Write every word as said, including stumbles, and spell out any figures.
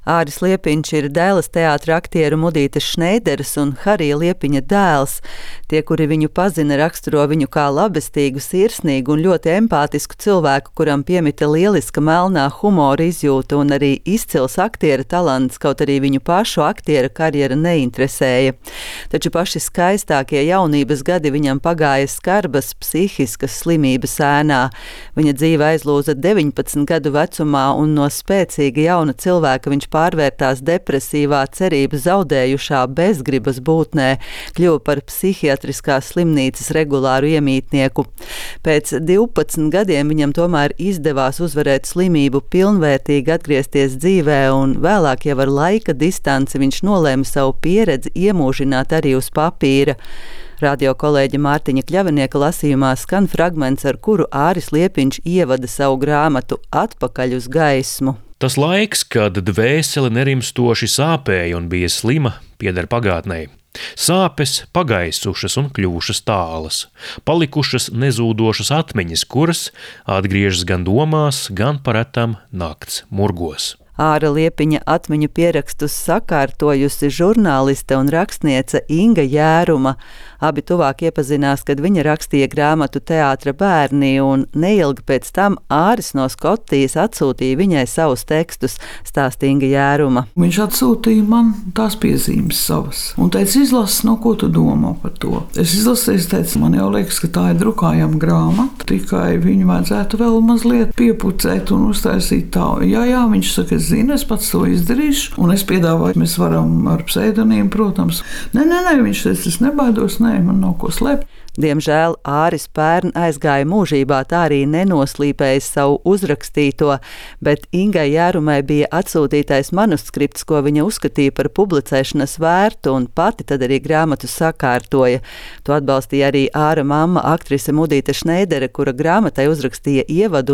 Āris Liepiņš ir Dēles teātra aktieru Mudītes Šneideres un Harija Liepiņa dēls. Tie, kuri viņu pazina, raksturo viņu kā labestīgu, sirsnīgu un ļoti empātisku cilvēku, kuram piemita lieliska melnā humora izjūta un arī izcils aktiera talants, kaut arī viņu pašu aktiera karjera neinteresēja. Taču paši skaistākie jaunības gadi viņam pagāja skarbas psihiskas slimības ēnā. Viņa dzīve aizlūza deviņpadsmit gadu vecumā un no spēcīga jauna cilvēka viņš pārvērtās depresīvā, cerību zaudējušā bezgribas būtnē, kļuva par psihiatriskās slimnīcas regulāru iemītnieku. Pēc divpadsmit gadiem viņam tomēr izdevās uzvarēt slimību, pilnvērtīgi atgriezties dzīvē, un vēlāk jau ar laika distanci viņš nolēma savu pieredzi iemūžināt arī uz papīra. Radio kolēģa Mārtiņa Kļavinieka lasījumā skan fragments, ar kuru Āris Liepiņš ievada savu grāmatu Atpakaļ uz gaismu. Tas laiks, kad dvēsele nerimstoši sāpēja un bija slima, pieder pagātnei. Sāpes pagaisušas un kļuvušas tālas, palikušas nezūdošas atmiņas, kuras atgriežas gan domās, gan paretam nakts murgos. Āra Liepiņa atmiņu pierakstus sakārtojusi žurnāliste un rakstniece Inga Jēruma. Abi tuvāk iepazinās, kad viņa rakstīja grāmatu Teātra bērni, un neilgi pēc tam Āris no Skotijas atsūtīja viņai savus tekstus, stāsta Inga Jēruma. Viņš atsūtīja man tās piezīmes savas un teica, izlasi, no ko tu domā par to. Es izlasīju, es teicu, man jau liekas, ka tā ir drukājama grāmata, tikai viņu vajadzētu vēl mazliet piepucēt un uztaisīt tā. Jā, jā, viņš saka, es zinu, es pats to izdarīšu, un es piedāvāju, mēs varam ar pseidonīmu, protams. Nē, nē, nē, viņš teica, es nebaidos, nē, man nav ko slēpt. Diemžēl Āris pērn aizgāja mūžībā, tā arī nenoslīpējis savu uzrakstīto, bet Ingai Jērumai bija atsūtītais manuskripts, ko viņa uzskatīja par publicēšanas vērtu, un pati tad arī grāmatu sakārtoja. To atbalstīja arī Āra mamma, aktrise Mudīte Šneidere, kura grāmatai uzrakstīja ievadu